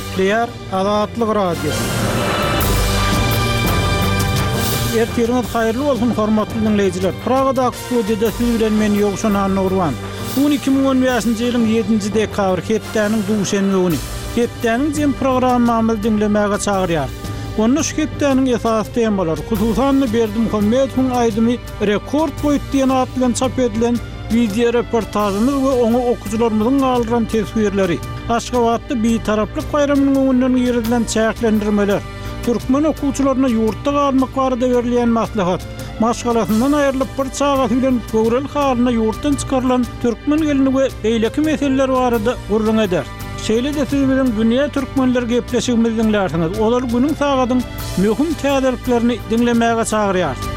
Gepleýär Azatlyk Radiosy. Ertiriňiz haýyrly bolsun, hormatly diňleýjiler! Pragadaky studiýada siz bilen men Ýowşan Annagurban. Bu gün 2015-nji ýylyň 7-nji dekabry, hepdäniň duşenbe güni. Hepdäniň jem programmamyzy diňlemäge çagyrýarys. Onda şu hepdäniň esasy temalary, hususan-da Berdimuhamedowyň aýdymy Rekord goýup diýen at bilen çap edilen Wideoreportažymyz we oňa okyjylarymyzyň galdyran teswirleri, Aşgabatda Bitaraplyk baýramynyň öňünden girizilen çäklendirmeler, türkmen okuwçylaryna ýurtda galmak barada berilýän maslahat, maşgalasyndan aýrylyp bir çagasy bilen göwreli halynda ýurtdan çykarylan türkmen gelni we beýleki meseleler barada gürrüň ederis. Şeýle-de siz biziň Dünýä türkmenleri gepleşigimizi diňlärsiňiz. Ozal günüň sagadyň möhüm täzeliklerini diňlemäge çagyrýarys.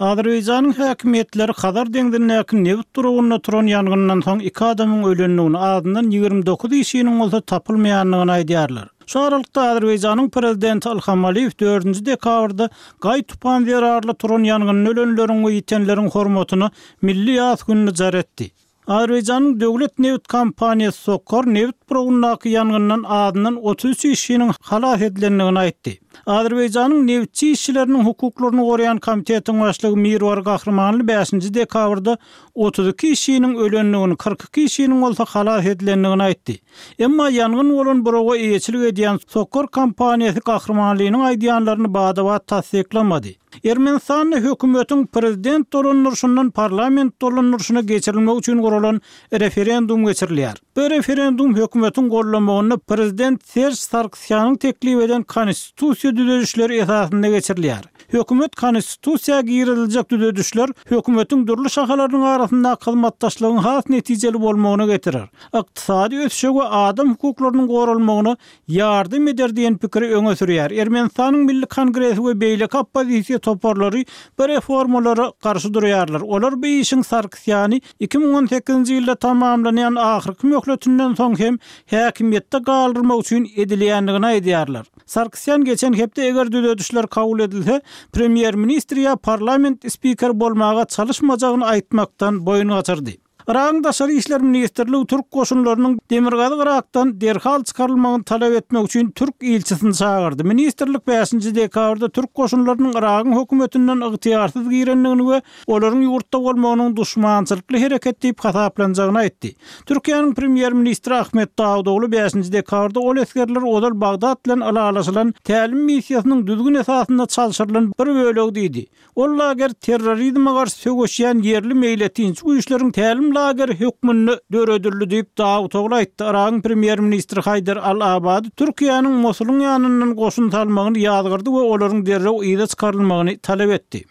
Azerbaýjanyň häkimiýetleri Hazar deňzindäki nebit duragynda turan ýangyndan soň iki adamyň ölendigini, azyndan 29 işçiniň bolsa tapylmaýandygyny aýdýarlar. Şu aralykda, Azerbaýjanyň prezidenti Ilham Aliýew dördünji dekabrda gaý-tupan zerarly turan ýangynda ölenleriň we ýitenleriň hormatyna milli ýas gününi jar etdi. Azerbaýjanyň döwlet nebit kompaniýasy SOCAR nebit burawyndaky ýangyndan azyndan 33 işçiniň halas edilendigini aýtdy. Azerbaýjanyň nebitçi işçileriniň hukuklaryny goraýan komitetiň başlygy Mirwar Gahrymanly bäşinji dekabrda 32 işçiniň ölendigini, 42 işçiniň bolsa halas edilendigini aýtdy. Emma ýangyn bolan burawa eýeçilik edýän SOCAR kompaniýasy Gahrymanlynyň aýdýanlaryny bada-bat tassyklamady. Ermenistanda hökümetiň prezident dolandyryşyndan parlament dolandyryşyna geçirilmegi üçin guralan referendum geçirilýär. Bu referendum hökümetiň gollamagynda prezident Serž Sargsýanyň teklip eden konstitusiýa düzedişleri esasynda geçirilýär. Hökümet konstitusiýa giriziljek düzedişler hökümetiň dürli şahalarynyň arasyndaky hyzmatdaşlygyň has netijeli bolmagyna getirer, ykdysady ösüşe we adam hukuklarynyň goralmagyna ýardam eder diýen pikiri öňe sürýär. Ermenistanyň Milli Kongresi we beýleki oppozisiýa toparlary bu reformalara garşy durýarlar. Olar bu işiň Sarkisýany 2018-nji ýylda tamamlanýan ahyrky möhletinden soň hem häkimiýetde galdyrmak üçin edilýändigini aýdýarlar. Sarkisýan geçen hepde eger düzedişler kabul edilse, premýer-ministr ýa parlament spikeri bolmaga çalyşmajagyny aýtmakdan boýun gaçyrdy. Yragyň Daşary işler ministrligi türk goşunlarynyň Demirgazyk Yrakdan derhal çykarylmagyny talap etmek üçin türk ilçisini çagyrdy. Ministrlik bäşinji dekabrda türk goşunlarynyň Yragyň hökümetinden ygtyýarsyz girendigini we olaryň ýurtda bolmagynyň duşmançylykly hereket diýip hasaplanjagyny aýtdy. Türkiýäniň premýer-ministri Ahmet Dawutogly bäşinji dekabrda ol esgerler ozal Bagdat bilen ylalaşylan tälim missiýasynyň düzgün esasynda çalşyrylan bir bölegi diýdi. Ol lager terrorizme garşy söweşýän ýerli meýletinçi güýçleriň tälim lageri hökmünde döredildi diýip, Dawutogly aýtdy. Yragyň premýer-ministri Haýdar al-Abadi Türkiýäniň Mosulyň ýanyndan goşun salmagyny ýazgardy we olaryň derrew yza çykarylmagyny talap etdi.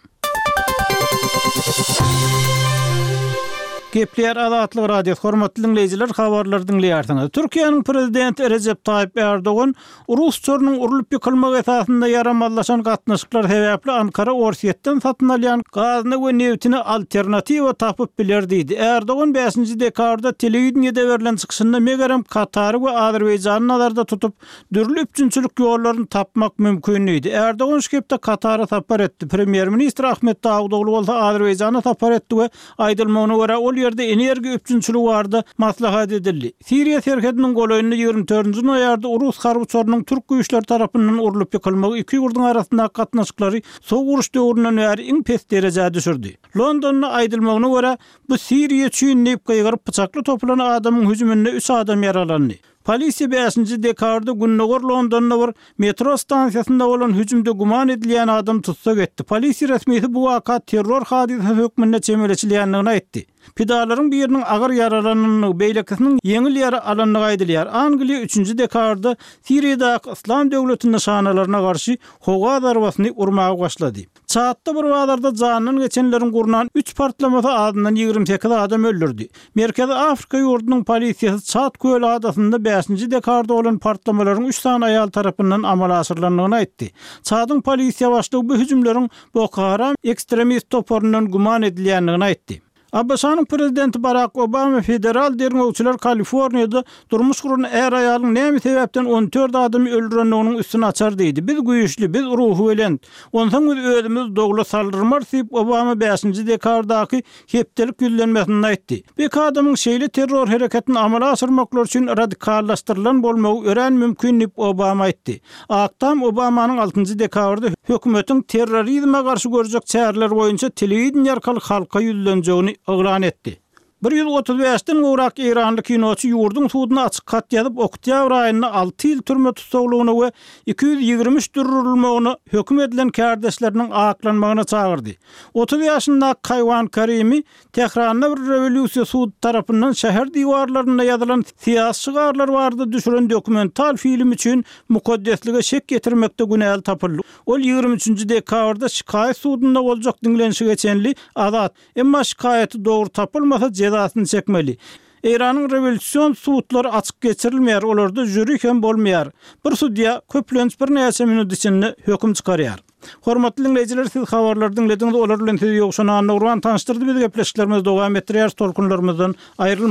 Gepleýär Azatlyk Radiosy, hormatly diňleýjiler, habarlary diňleýärsiňiz. Türkiýäniň prezidenti Rejep Taýyp Ärdogan Rus uçarynyň urlup ýykylmagy esasynda ýaramazlaşan gatnaşyklar sebäpli Ankara Orsýetden satyn alýan gazyna we nebtine alternatiwa tapyp biler diýdi. Erdogan bäşinji dekabrda telewideniýede berlen çykyşynda megerem Katary we Azerbaýjany nazarda tutup, dürli üpjünçilik ýollaryny tapmak mümkin diýdi. Erdogan şu hepde Katara sapar etdi. Premýer-ministr Ahmet Dawutogly bolsa Azerbaýjana sapar etdi we aýdylmagyna görä ol ýerde energiýa üpjünçiligi barada maslahat edildi. Siriýa serhediniň golaýynda 24-nji noýabrda rus harby uçarynyň türk güýçleri tarapyndan urlup ýykylmagy iki ýurduň arasyndaky gatnaşyklary sowuk uruş döwründen bäri iň pes derejä düşürdi. Londonda aýdylmagyna görä, bu Siriýa üçin diýip gygyryp pyçakly topulan adamyň hüjüminde üç adam ýaralandy. Polisiýa bäşinji dekabrda gündogar Londonda bir metro stansiýasynda bolan hüjümde güman edilýän adamy tussag etdi. Polisiýa resmisi bu waka terror hadysasy hökmünde çemeleşilýändigini aýtdy. Pidalaryň biriniň agyr ýaralanandygy, beýlekisiniň ýeňil ýara alandygy aýdylýar. Angliýa üçünji dekabrda Siriýadaky Yslam döwleti nyşanalaryna garşy howa zarbasyny urmaga başlady. Çadda bir bazarda janyndan geçenleriň gurnan üç partlamasy azyndan 28 adam öldürdi. Merkezi Afrika ýurdunyň polisiýasy Çad köli adasynda bäşinji dekabrda bolan partlamalaryň üç sany aýal tarapyndan amala aşyrylandygyny aýtdy. Çadyň polisiýa başlygy bu hüjümleriň Boko Haram ekstremist toparyndan güman edilýändigini aýtdy. ABŞ-nyň prezidenti Barak Obama federal derňewçiler Kaliforniýada durmuş guran är-aýalyň näme sebäpden 14 adamy öldürendiginiň üstüni açar diýdi. Biz güýçli, biz ruhubelent. Onsoň biz özümizi dowla saldyrmarys diýip, Obama bäşinji dekabrdaky hepdelik ýüzlenmesinde aýtdy. Bu iki adamyň şeýle terror hereketini amala aşyrmaklary üçin radikallaşdyrylan bolmagy örän mümkin diýip, Obama aýtdy. Ak Tam Obamanyň altynjy dekabrda hökümetiň terrorizme garşy görjek çäreleri boýunça telewideniýe arkaly halka ýüzlenjegini yglan etdi. 135-den gowrak eýranly kinoçy ýurduň suduna açyk hat ýazyp, oktýabr aýynda alty ýyl türme tussaglygyna we 223 durdurylmagyna höküm edilen kärdeşleriniň aklanmagyna çagyrdy. 30 ýaşyndaky Kaýwan Karimi Tähranda bir rewolýusiýa sudy tarapyndan şäher diwarlarynda ýazylan syýasy şygarlar barada düşüren dokumental film üçin mukaddeslige şek ýetirmekde günäli tapyldy. Ol 23 nji dekabrda şikaýat sudunda boljak diňlenişige çenli azat, emma şikaýaty dogry tapylmasa jezasyny çekmeli. Eýranyň rewolýusion sudlary açyk geçirilmeýär, olarda žüri hem bolmaýar. Bir sudýa köplenç birnäçe minut içinde höküm çykarýar. Hormatly diňleýjiler siz habarlary diňlediňiz olar bilen sizi Ýowşan Annagurban tanyşdyrdy biz gepleşiklerimizi dowam etdirýäris tolkunlarymyzdan aýrylmaň.